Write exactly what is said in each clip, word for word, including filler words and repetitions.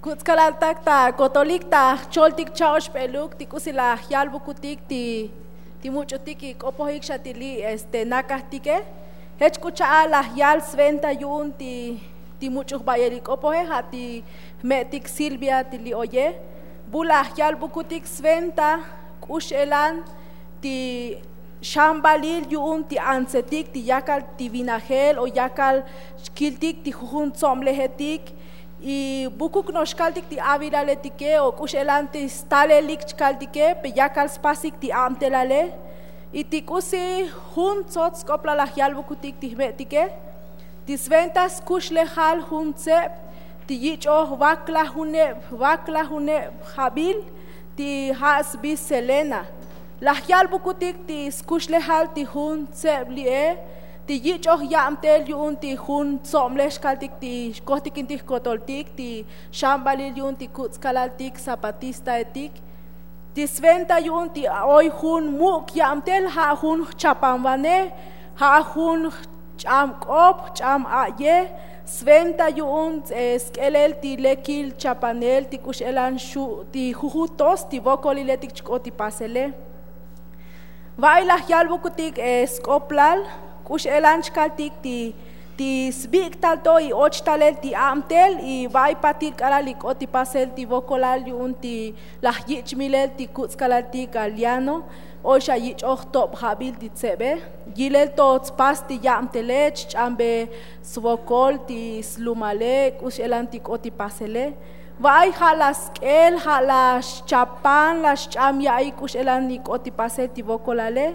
Kuts' kalaltak ta kotolik ta jcholtik cha'oxp'eluk ti k'usi laj yalbukutik ti ti much'utik ik'opojik xa ti li' este nakajtike. Jech k'u cha'al laj yal sventa yu'un ti ti much'uj ba'yel ik'opoje ja' ti jme'tik silvia ti li' oye. Bu laj yalbukutik sventa k'u x'elan ti xambalil yu'un ti antsetik ti yakal ti vinajel o yakal xkiltik ti jujun tso'mlejetik. Y bukuk no'ox xkaltik ti avilaletike o k'u x'elan ti stalelik xkaltike pe yakal spasik ti abtelale. Y ti k'usi jun tsots sk'oplal laj yalbukutik ti jme'tike ti sventa skuxlejal jun tseb ti yich'oj vaklajuneb vaklajuneb jabil ti ja' sbi selena. Laj yalbukutik ti skuxlejal ti jun tseb li'e ti yich'oj yabtel yu'un ti jun tso'mlej xkaltik ti xkojtikintik jkotoltik ti xambalil yu'un ti kuts' kalaltik zapatistaetik. Ti sventa yu'un ti oy jun muk' yabtel ja' jun jchapanvanej ja' jun jch'am k'op jch'am a'yej. Sventa yu'un sk'elel ti lekil chapanel ti k'u x'elan xu' ti jujutos ti vokoliletik chk'ot ti pasele. Va'ay laj yalbukutik sk'oplal k'u x'elan chkaltik ti ti sbik'tal to y och talel ti abtel y va'ay patil k'alal ik'ot ti pasel ti vokolal yu'un ti laj yich' milel ti kuts' kalaltik aliano. Oy xa yich'oj tob jabil ti tsebe yilel to tspas ti yabtele chch'ambe svokol ti slumale k'u x'elan ti k'ot ti pasele. Va'ay ja' laj sk'el ja' laj xchapan laj xch'am ya'i k'u x'elan ik'ot ti pasel ti vokolale.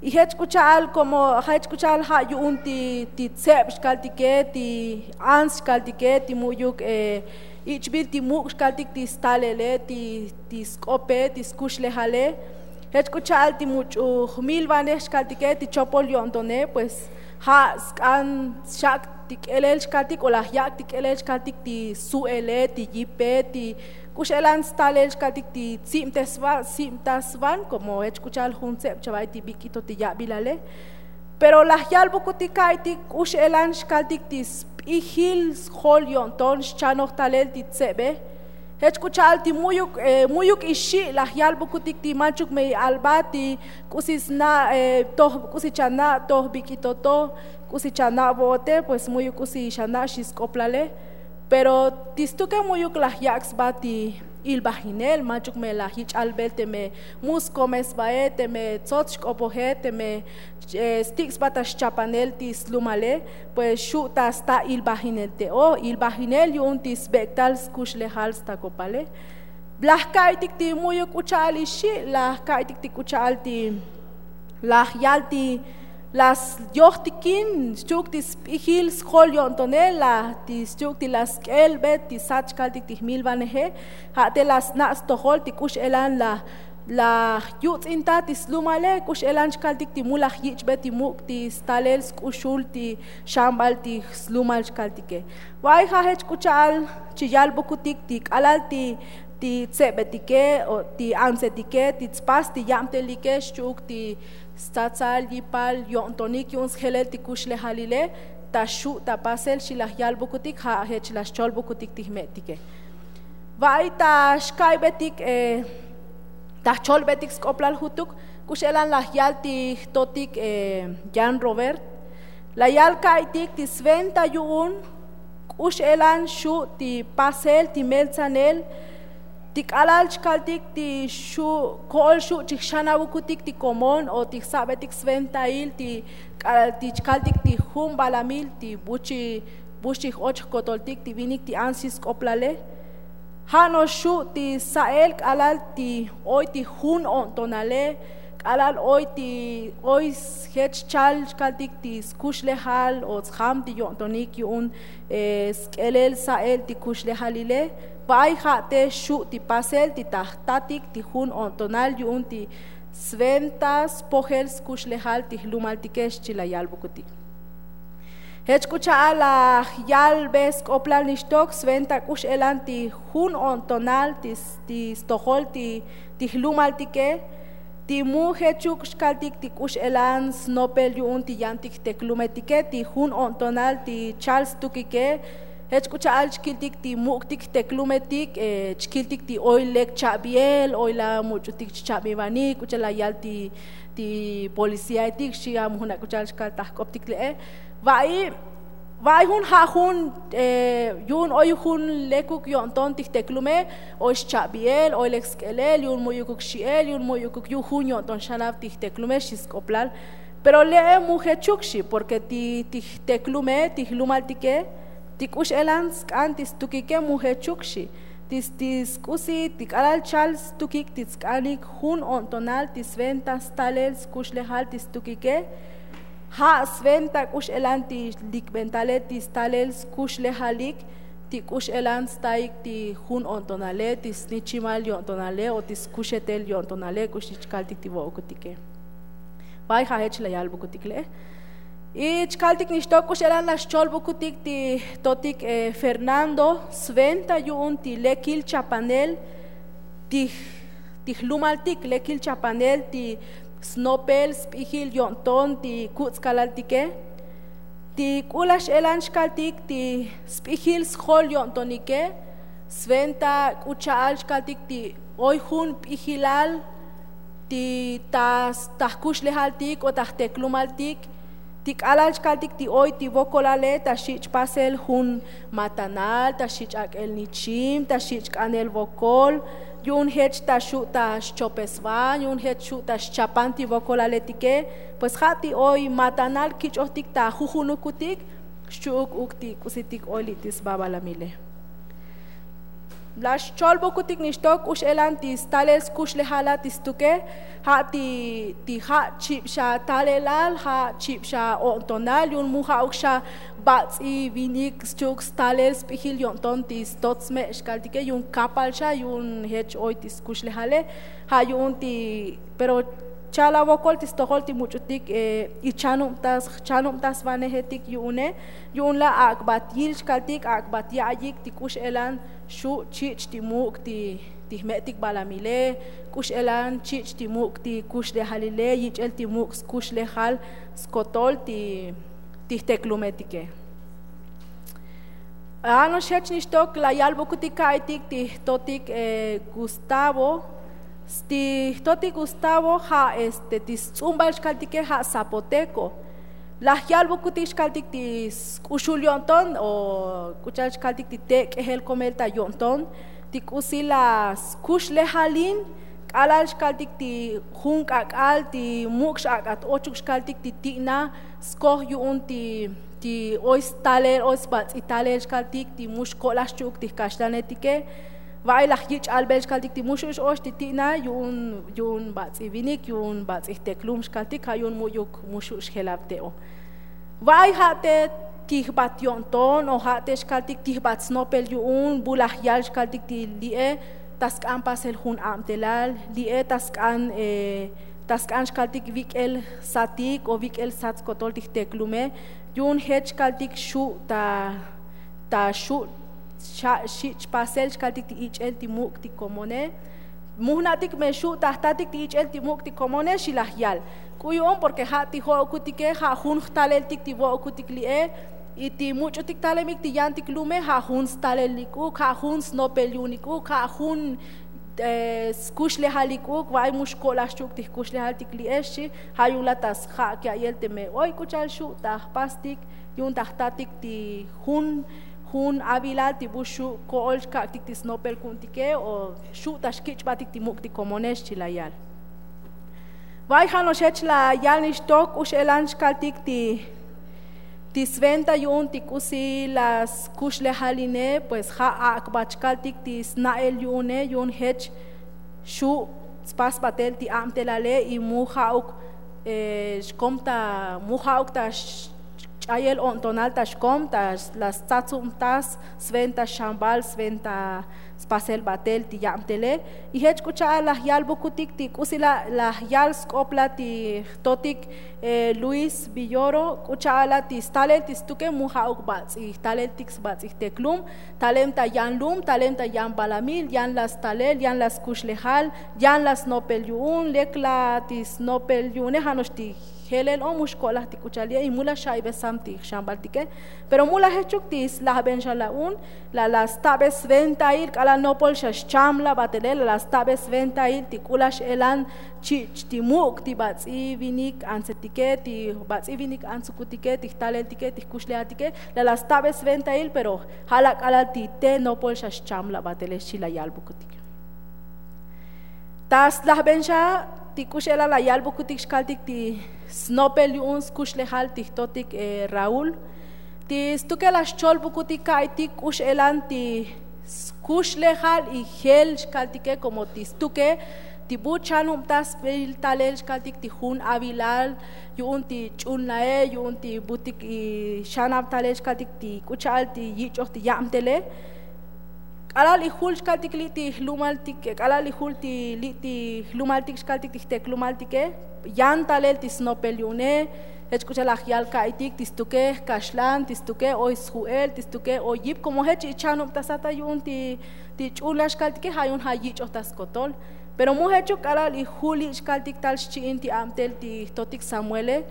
Y jech k'u cha'al komo jech k'u cha'al ja' yu'un ti ti tseb xkaltike ti ants xkaltike ti mu'yuk ich'bil ti muk' xkaltik ti stalele ti ti sk'ope ti skuxlejale. Jech k'u cha'al ti much'uj milvanej xkaltike ti chopol yo'ntone pues ja' sk'an xak' ti k'elel xkaltik o laj yak' ti k'elel xkaltik ti su'ele ti yipe ti k'u x'elan stalel xkaltik ti tzibtesvan sibtasvan komo jech k'u cha'al jun tseb chava'ay ti bik'ito ti yabilale. Pero laj yalbukutik ka'aytik k'u x'elan xkaltik ti sp'ijil sjol yo'nton xchanoj talel ti tsebe. Jech k'u cha'al ti mu'yuk mu'yuk ixi' laj yalbukutik ti manchuk me i'albat ti k'usi sna' toj k'usi chana' toj bik'ito to k'usi chana' vo'ote pues mu'yuk k'usi xana' xi sk'oplale. Pero ti stuke mu'yuk laj yak' sba ti ilbajinel manchuk me laj yich'albel teme mu skome sbae teme tsots xk'opoje teme stik' sba ta xchapanel ti slumale. Pues xu' ta sta ilbajinel te'o ilbajinel yu'un ti sbek'tal skuxlejal stakopale. Laj ka'aytik ti mu'yuk k'u cha'al ixi' laj ka'aytik ti k'u cha'al ti laj yal ti laj yo'jtikin xchi'uk ti sp'ijil sjol yo'ntonel laj ti xchi'uk ti laj sk'elbe ti sat xkaltik ti jmilvaneje. Ja' te laj sna' stojol ti k'u x'elan laj laj yuts'intaj ti slumale k'u x'elan xkaltik ti mu laj yich'be ti muk' ti stalel sk'uxul ti xambal ti slumal xkaltike. Va'ay ja' jech k'u cha'al chi yalbukutik ti k'alal ti ti tsebetike o ti antsetike ti tspas ti yabtelike xchi'uk ti stsatsal yipal yo'ntonik yu'un sjelel ti kuxlejalile ta xu' ta pasel xi laj yalbukutik ja' jech laj xcholbukutik ti jme'tike. Va'ay ta xka'aybetik ta jcholbetik sk'oplal jutuk k'u x'elan laj yal ti jtotik yan robert. La yal ka'aytik ti sventa yu'un k'u x'elan xu' ti pasel ti meltsanel ti k'alal chkaltik ti xu' ko'ol xu' chijxanavukutik ti komon o ti jsa'betik sventail ti k'alal ti chkaltik ti jun balamil ti bu chi bu xchij och jkotoltik ti vinik ti ants xi sk'oplale. Ja' no'ox xu' ti sa'el k'alal ti oy ti jun o'ntonale k'alal oy ti oy sjech chal chkaltik ti skuxlejal o tsjam ti yo'ntonik yu'un sk'elel sa'el ti kuxlejalile. Va'ay ja' te xu' ti pasel ti ta jtatik ti jun o'ntonal yu'un ti sventa spojel skuxlejal ti jlumaltike xchi la yalbukutik. Jech k'u cha'al laj yalbe sk'oplal nixtok sventa k'u x'elan ti jun o'ntonal ti stojol ti jlumaltike ti mu jechuk xkaltik ti k'u x'elan snopel yu'un ti yantik jteklumetike ti jun o'ntonal ti chal stukike. Jech k'u cha'al chkiltik ti muk'tik jteklumetik, chkiltik ti oy lek cha'biel oy la much'utik chcha'bivanik k'u cha'al la yal ti ti policiaetik xi' amujuna' k'u cha'al chkal ta jk'optik le'e. Va'i va'i jun ja' jun yu'un oy jun lekuk yo'nton ti jteklume, oy xcha'biel oy lek sk'elel yu'un mu'yukuk xi'el yu'un mu'yukuk yu' jun yo'nton xanav ti jteklume xi sk'oplal. Pero le'e mu jechuk xi' porke ti jteklume ti jlumaltike ti k'u x'elan sk'an ti stukike mu jechuk xi'. Ti sk'usi ti k'alal chal stukik ti tsk'anik jun o'ntonal ti sventa stalel skuxlejal ti stukike. Ja' sventa k'u x'elan ti likbentale ti stalel skuxlejalik ti k'u x'elan staik ti jun o'ntonale ti snichimal yo'ntonale o ti skuxetel yo'ntonale k'u xi' chkaltik ti vo'okutike. Vay ja' jech la yalbukutik le'e. Y chkaltik nixtok k'u x'elan la xcholbukutik ti totik fernando sventa yu'un ti lekil chapanel ti jlumaltik lekil chapanel ti snopel sp'ijil yo'nton ti kutz'kalaltike. Ti k'u la x'elan chkaltik ti sp'ijil sjol yo'ntonike sventa k'u cha'al chkaltik ti oy jun p'ijilal ti ta jkuxlejaltik o ta jteklumaltik ti k'alal chkaltik ti oy ti vokolale ta xi' chpasel jun matanal ta xi' ch'ak'el nichim ta xi' chk'anel vokol yu'un jech ta xu' ta xchopesvan yu'un jech xu' ta xchapan ti vokolaletike. Pues ja' ti oy matanal kich'ojtik ta jujunukutik xchu'uk uk ti k'usitik oy li' ti sba balamile. La xcholbukutik nixtok k'u x'elan ti stalel skuxlejala ti stuke. Ja' ti ja' chib xa talelal ja' chib xa o'ntonal yu'un mu ja'uk xa bats'i vinik xchu'uk stalel sp'ijil yo'nton ti stot sme' xkaltike yu'un kapal xa yu'un jech oy ti skuxlejale. Ja' yu'un ti pero cha'al avokol ti stojol ti much'utik ichanubtas chanubtasvanejetik yu'une. Yu'un la ak'bat yil chkaltik ak'bat ya'yik ti k'u x'elan xu' chich' ti muk' ti jme'tik balamile k'u x'elan chich' ti muk' ti kuxlejalile yich'el ti muk' skuxlejal skotol ti jteklumetike. Ano'ox jech nixtok la yalbukutik ka'aytik ti jtotik gustavo. Ti jtotik gustavo ja' este ti sts'umbal chkaltike ja' zapoteko. La jyalbukutik chkaltik ti sk'uxul yo'nton o k'u cha'al chkaltik ti te' k'ejel komel ta yo'nton ti k'usi la skuxlejalin k'alal chkaltik ti jun k'ak'al ti muk' x'ak'at ochuk chkaltik ti ti'na skoj yu'un ti ti oy stalel oy sbats'i talel chkaltik ti mu xko'laj xchu'uk ti jkaxlanetike. Va'ay laj yich' albel chkaltik ti mu xu' x-ox ti ti'na yu'un yu'un bats'i vinik yu'un bats'i jteklum chkaltik ja' yu'un mu'yuk mu xu' xjelab te'o. Va'ay ja' te tijbat yo'nton o ja' te xkaltik tijbat snopel yu'un bu laj yal chkaltik ti li'e ta sk'an pasel jun abtelal li'e ta sk'an ta sk'an xkaltik vik'el satik o vik'el sat skotol ti jteklume. Yu'un jech kaltik xu' ta ta xu' xich' pasel xkaltik ti ich'el ti muk' ti komone. Mu jna'tik me xu' ta jtatik ti ich'el ti muk' ti komone xi laj yal. K'u yu'un porke ja' ti jo'okutike ja' jun jtaleltik ti vo'okutik li'e. Y ti much'utik talemik ti yantik lume ja' jun stalelik uk ja' jun snopel yu'unik uk ja' jun skuxlejalik uk va'ay mu xko'laj xchu'uk ti jkuxlejaltik li'ex xi. Ja' yu'un la ta sja'k ya'yel teme oy k'u cha'al xu' ta jpastik yu'un ta jtatik ti jun jun avilal ti bu xu' ko'ol xkak'tik ti snopel ku'untike o xu' ta xkich'batik ti muk' ti komonex chi la yal. Va'ay ja' no'ox jech la yal nixtok k'u x'elan xkaltik ti ti sventa yu'un ti k'usi la skuxlejaline pues ja' ak'bat xkaltik ti sna'el yu'une yu'un jech xu' tspasbatel ti abtelale y mu ja'uk xkom ta mu ja'uk ta ch'ayel o'ntonal ta xkom ta la stsatsubtas sventa xambal sventa spasel batel ti yabtele. Y jech k'u cha'al laj yalbukutik ti k'usi la laj yal sk'opla ti jtotik luis villoro k'u cha'ala ti stalel ti stuke mu ja'uk bats'i jtaleltik sbats'i jteklum. Talem ta yan lum talem ta yan balamil yan la stalel yan la skuxlejal yan la snopel yu'un lek la ti snopel yu'une ja' no'ox ti jelel o mu xko'laj ti k'u cha'al ye' y mu la xa'ibesam ti jxambal tike. Pero mu la jechuk ti slajben xa la'un, la la stabe sventail k'alal nopol xa xcham labatele la la stabe sventail ti k'u la x'elan chi'ch ti muk' ti bats'i vinik antsetike ti bats'i vinik antsukutike ti jtaleltike ti jkuxlejatike, la la stabe sventail pero ja' la k'alal ti te nopol xa xcham labatele xchi la yalbukutik. Ta slajben xa ti k'u x'elan la yalbukutik xkaltik ti snopel yu'un skuxlejal ti jtotik raúl, ti stukel la xcholbukutik ka'itik k'u x'elan ti skuxlejal y jel xkaltike komo ti stuke ti bu chanubtasbil talel xkaltik ti jun avilal yu'un ti ch'ulnae yu'un ti butik xanab talel xkaltik ti k'u cha'al ti yich'oj ti yabtele. K'alal ijul xkaltik li' ti jlumaltik k'alal ijul ti li' ti jlumaltik xkaltik ti jteklumaltike, yan talel ti snopel yu'une. Jech k'u cha'al la jyal ka'itik ti stuke jkaxlan ti stuke oy sju'el ti stuke oy yip komo jech ichanubtasata yu'un ti ch'ulna xkaltike ja' yu'un ja' yich'oj ta skotol. Pero mu jechuk k'alal ijul li' xkaltik tal xchi'in ti abtel ti jtotik samuele,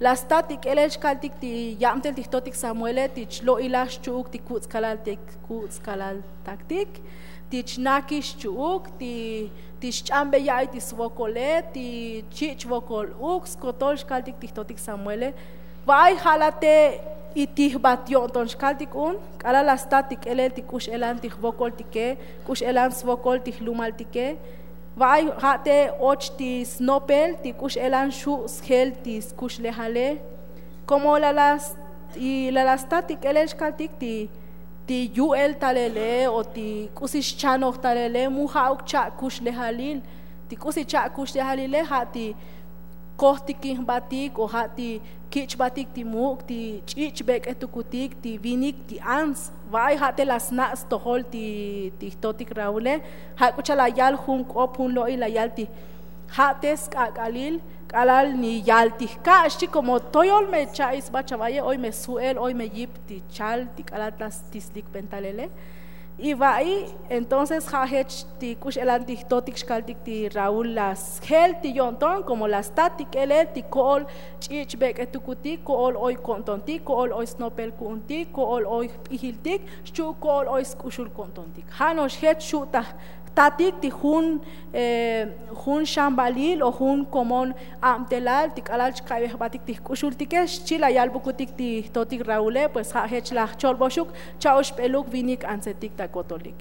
la stat ti k'elel xkaltik ti yabtel ti jtotik samuele ti chlo'ilaj xchu'uk ti kuts' kalaltik kuts' kalaltaktik, ti chnakix xchu'uk ti xch'ambe ya'iy ti svokole ti chi'ch vokol uk skotol xkaltik ti jtotik samuele. Va'ay ja' la te' itijbat yo'nton xkaltik un k'alal la stat ti k'elel ti k'u x'elan ti jvokoltike, k'u x'elan svokol ti jlumaltike. Va'ay ja' te' och ti snopel ti k'u x'elan xu' sjel ti skuxlejale. Komo la la stat ti k'elel xkaltik ti ti yu'el talele o ti k'usi xchanoj talele mu ja'uk cha' kuxlejalil. Ti k'usi cha' kuxlejalile ja' ti kojtikin jbatik o ja' ti kich' jbatik ti muk' ti ch'ich' bek'etukutik ti vinik ti ants. Va'ay ja' te la sna' stojol ti jtotik raule. Ja' k'u cha'al la yal jun k'op jun lo'il la yal ti ja' te sk'ak'alil k'alal ni yal ti jka' xchi komo toyol me cha'i sba chavaye oy me sju'el oy me yip ti chal ti k'alal ta stislik pentalele. Y va'i entonces ja' jech ti k'u x'elan ti jtotik xkaltik ti raúl la sjel ti yo'nton komo la stat ti k'elel ti ko'ol ch'ich' bek'etukutik ko'ol oy ko'ntontik ko'ol oy snopel ku'untik ko'ol oy jp'ijiltik xchu' ko'ol oy sk'uxul ko'ntontik ja' no'ox jech xu' ta jtatik ti jun jun xambalil o jun komon abtelal ti k'alal chka'ibej jbatik ti jk'uxultike xchi la yalbukutik ti jtotik raule pues ja' jech la jcholboxuk cha'oxbeluk vinik antsetik ta kotolik.